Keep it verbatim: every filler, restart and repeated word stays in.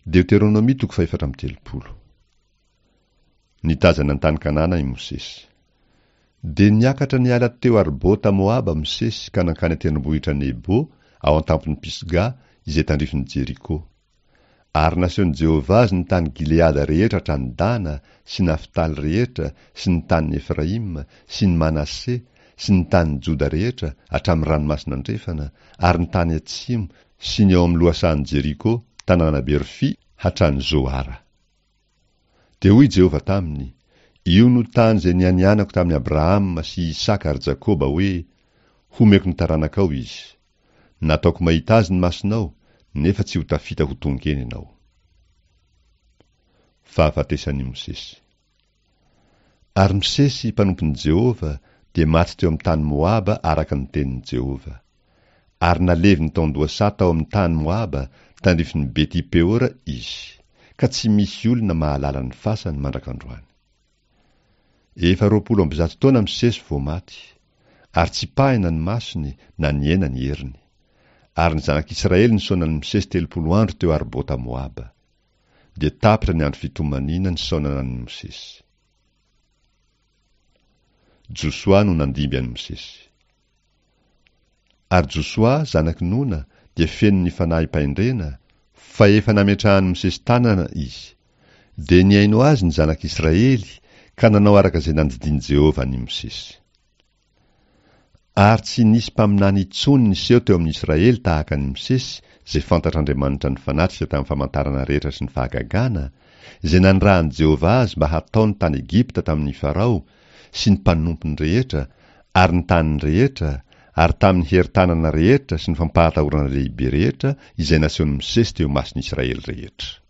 Deoteronomia toko fahefatra amby telopolo. Nitazana ny tany Kanana i Mosesy. Dia niakatra niala teo Arbota Moaba Mosesy ka nankany an-tendrombohitra Nebo ao an-tampon'i Pisga izay tandrifin'i Jeriko. Ary nasehon'i Jehovah azy ny tany Gileada rehetra hatrany Dana sy Naftaly rehetra sy ny tanin'i Efraima sy ny Manase sy ny tanin'i Joda rehetra hatramin'ny ranomasina andrefana ary ny tany atsimo sy ny ao amin'ny lohasahan'i Jeriko tanàna Berfy hatrany Zoara. Dia hoy Jehovah taminy, Io no tany izay nianianako tamin'i Abrahama sy Isaka ary Jakoba hoe, Homeko ny taranakao izy. Nataoko mahita azy ny masonao, nefa tsy ho tafita ho tonga eny ianao. Fahafatesan'i Mosesy. Ary Mosesy, mpanompon'i Jehovah, dia maty teo amin'ny tany Moaba araka ny tenin'i Jehovah. Ary naleviny tao an-dohasaha tao amin'ny tany Moaba, tandrifin'i Beti-Peora izy, ka tsy misy olona mahalala ny fasany mandrak'androany. Efa roapolo amby zato taona Mosesy vao maty, ary tsy pahina ny masony na nihena ny heriny. Ary ny zanak'Israely nisaona an'i Mosesy telopolo andro teo Arbota Moaba. Dia tapitra ny andro fitomaniana nisaonana an'i Mosesy. Josoa no nandimby an'i Mosesy. Ary Josoa, zanak'i Nona, dia feno ny fanahim-pahendrena, fa efa nametrahan'i Mosesy tanana izy. Dia nihaino azy ny zanak'Israely ka nanao araka izay nandidian'i Jehovah an'i Mosesy. Ary tsy nisy mpaminany intsony niseho teo amin'ny Israely tahaka an'i Mosesy, izay fantatr'Andriamanitra nifanatrika tamin'ny famantarana rehetra sy ny fahagagana, izay nanirahan'i Jehovah azy mba hataony tany Egypta tamin'ny Farao sy ny mpanompony rehetra ary ny taniny rehetra ary tamin'ny herin-tanana rehetra sy ny fampahatahorana lehibe rehetra izay nasehon'i Mosesy teo imason'Israely rehetra.